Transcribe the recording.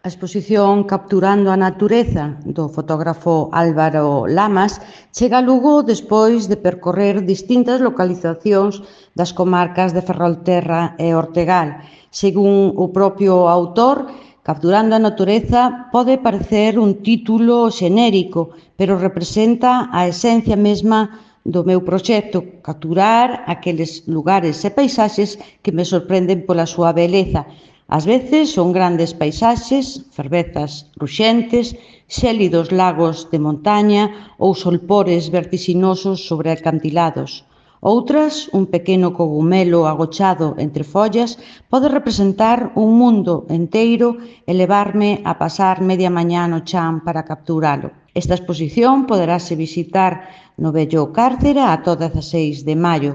A exposición Capturando a natureza do fotógrafo Álvaro Lamas chega a Lugo despois de percorrer distintas localizacións das comarcas de Ferrolterra e Ortegal. Según o propio autor, Capturando a natureza pode parecer un título xenérico, pero representa a esencia mesma do meu proxecto, capturar aqueles lugares e paisaxes que me sorprenden pola súa beleza. Ás veces son grandes paisaxes, fervezas ruxentes, xélidos lagos de montaña ou solpores vertixinosos sobre acantilados. Outras, un pequeno cogumelo agochado entre follas, pode representar un mundo enteiro e levarme a pasar media mañá no chan para capturalo. Esta exposición poderase visitar no vello Cárcere ata o 16 de maio.